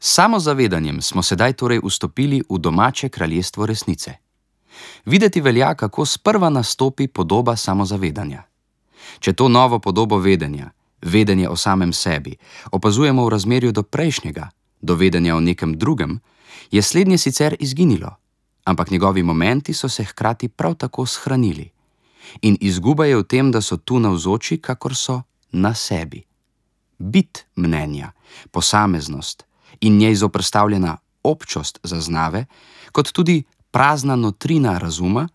S samozavedanjem smo sedaj torej vstopili v domače kraljestvo resnice. Videti velja, kako sprva nastopi podoba samozavedanja. Če to novo podobo vedenja, vedenje o samem sebi, opazujemo v razmerju do prejšnjega, do vedenja o nekem drugem, je slednje sicer izginilo, ampak njegovi momenti so se hkrati prav tako shranili. In izguba je v tem, da so tu navzoči, kakor so na sebi. Bit mnenja, posameznost in njej zoperstavljena občost zaznave, kot tudi prazna notrina razuma,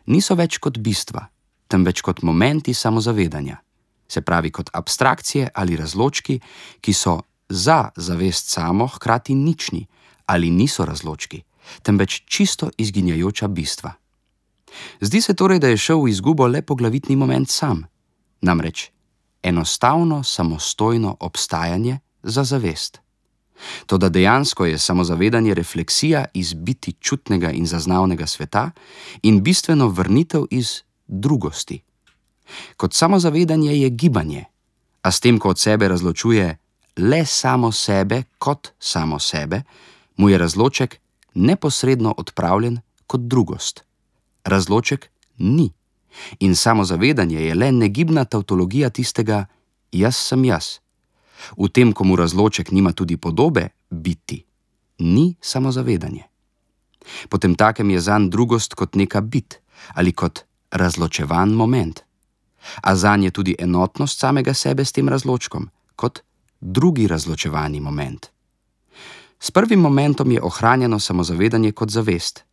niso več kot bistva, temveč kot momenti samozavedanja, se pravi kot abstrakcije ali razločki, ki so za zavest samo hkrati nični ali niso razločki, temveč čisto izginjajoča bistva. Zdi se torej, da je šel v izgubo le poglavitni moment sam, namreč enostavno samostojno obstajanje za zavest. Toda dejansko je samozavedanje refleksija iz biti čutnega in zaznavnega sveta in bistveno vrnitev iz drugosti. Kot samozavedanje je gibanje, a s tem, ko od sebe razločuje le samo sebe kot samo sebe, mu je razloček neposredno odpravljen kot drugost. Razloček ni in samozavedanje je le negibna tavtologija tistega jaz sem jaz. V tem, ko mu razloček nima tudi podobe biti, ni samozavedanje. Potemtakem je zanj drugost kot neka bit ali kot razločevan moment. A zanj je tudi enotnost samega sebe s tem razločkom, kot drugi razločevani moment. S prvim momentom je ohranjeno samozavedanje kot zavest,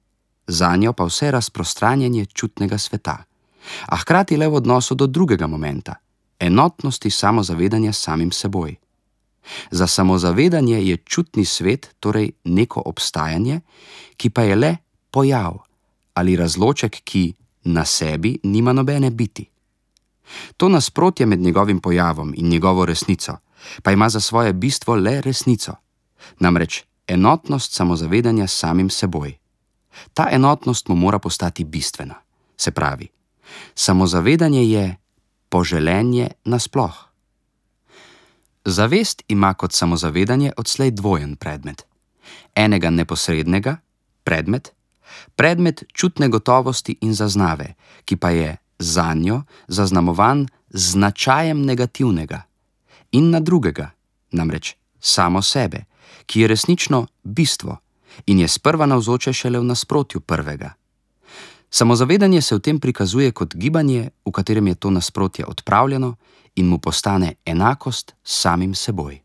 zanjo pa vse razprostranjanje čutnega sveta, a hkrati le v odnosu do drugega momenta, enotnosti samozavedanja s samim seboj. Za samozavedanje je čutni svet torej neko obstajanje, ki pa je le pojav ali razloček, ki na sebi nima nobene biti. To nasprotje med njegovim pojavom in njegovo resnico pa ima za svoje bistvo le resnico, namreč enotnost samozavedanja s samim seboj. Ta enotnost mu mora postati bistvena, se pravi, samozavedanje je poželenje nasploh. Zavest ima kot samozavedanje odslej dvojen predmet. Enega neposrednega, predmet čutne gotovosti in zaznave, ki pa je zanjo zaznamovan z značajem negativnega, in na drugega, namreč samo sebe, ki je resnično bistvo in je sprva navzoče šele v nasprotju prvega. Samozavedanje se v tem prikazuje kot gibanje, v katerem je to nasprotje odpravljeno in mu postane enakost s samim seboj.